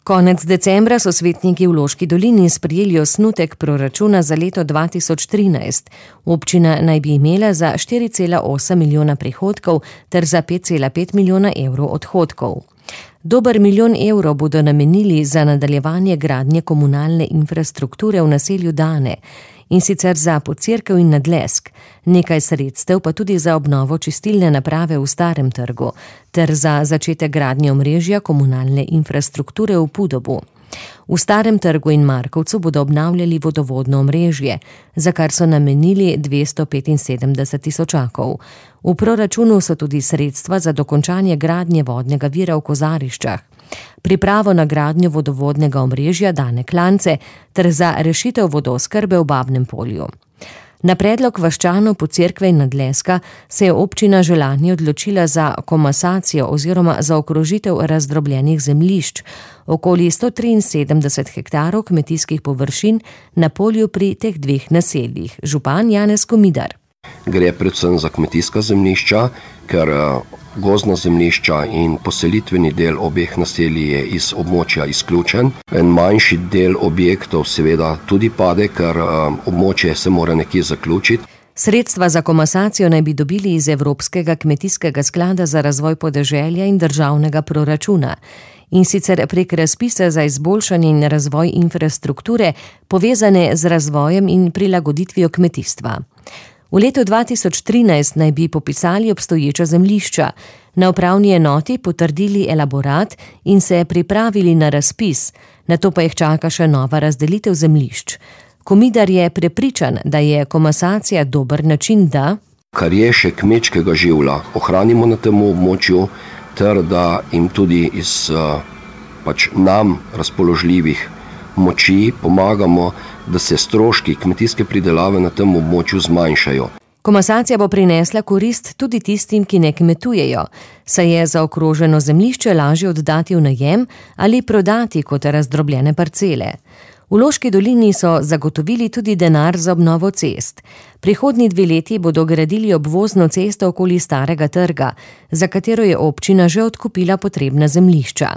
Konec decembra so svetniki v Loški dolini sprejeli osnutek proračuna za leto 2013. Občina naj bi imela za 4,8 milijona prihodkov ter za 5,5 milijona evrov odhodkov. Dober milijon evrov bodo namenili za nadaljevanje gradnje komunalne infrastrukture v naselju Dane, in sicer za Podcerkev in Nadlesk, nekaj sredstev pa tudi za obnovo čistilne naprave v Starem trgu ter za začetek gradnje omrežja komunalne infrastrukture v Podobu. V Starem trgu in Markovcu bodo obnavljali vodovodno omrežje, za kar so namenili 275 tisočakov. V proračunu so tudi sredstva za dokončanje gradnje vodnega vira v Kozariščah, pripravo na gradnjo vodovodnega omrežja Dane Klance ter za rešitev vodooskrbe v Babnem Polju. Na predlog vaščanov Podcerkve in Nadleska se je občina že lani odločila za komasacijo oziroma za okrožitev razdrobljenih zemljišč, okoli 173 hektarov kmetijskih površin na polju pri teh dveh naseljih. Župan Janez Komidar. Gre predvsem za kmetijska zemljišča, ker gozdna zemljišča in poselitveni del obeh naselij je iz območja izključen. En manjši del objektov seveda tudi pade, ker območje se mora nekje zaključiti. Sredstva za komasacijo naj bi dobili iz Evropskega kmetijskega sklada za razvoj podeželja in državnega proračuna. In sicer prek razpisa za izboljšanje in razvoj infrastrukture, povezane z razvojem in prilagoditvijo kmetijstva. V letu 2013 naj bi popisali obstoječa zemljišča, na upravni enoti potrdili elaborat in se pripravili na razpis, nato pa jih čaka še nova razdelitev zemljišč. Komidar je prepričan, da je komasacija dober način, da kar je še kmečkega življa ohranimo na tem območju, ter da jim tudi iz nam razpoložljivih moči pomagamo, da se stroški kmetijske pridelave na tem območju zmanjšajo. Komasacija bo prinesla korist tudi tistim, ki ne kmetujejo, saj je zaokroženo zemljišče lažje oddati v najem ali prodati kot razdrobljene parcele. V Loški dolini so zagotovili tudi denar za obnovo cest. Prihodnji 2 leti bodo gradili obvozno cesto okoli Starega trga, za katero je občina že odkupila potrebna zemljišča.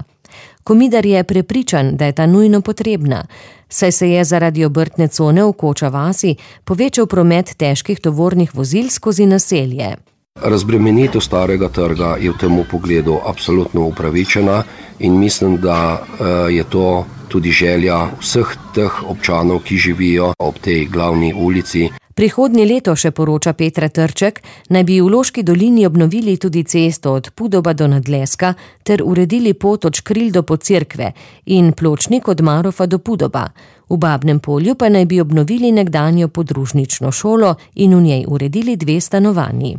Komidar je prepričan, da je ta nujno potrebna, saj se je zaradi obrtne cone v Koča vasi povečal promet težkih tovornih vozil skozi naselje. Razbremenitev Starega trga je v tem pogledu absolutno upravičena in mislim, da je to tudi želja vseh teh občanov, ki živijo ob tej glavni ulici. Prihodnje leto, še poroča Petra Trček, naj bi v Loški dolini obnovili tudi cesto od Podoba do Nadleska ter uredili pot od Škril do Podcerkve in pločnik od Marofa do Podoba. V Babnem Polju pa naj bi obnovili nekdanjo podružnično šolo in v njej uredili 2 stanovanji.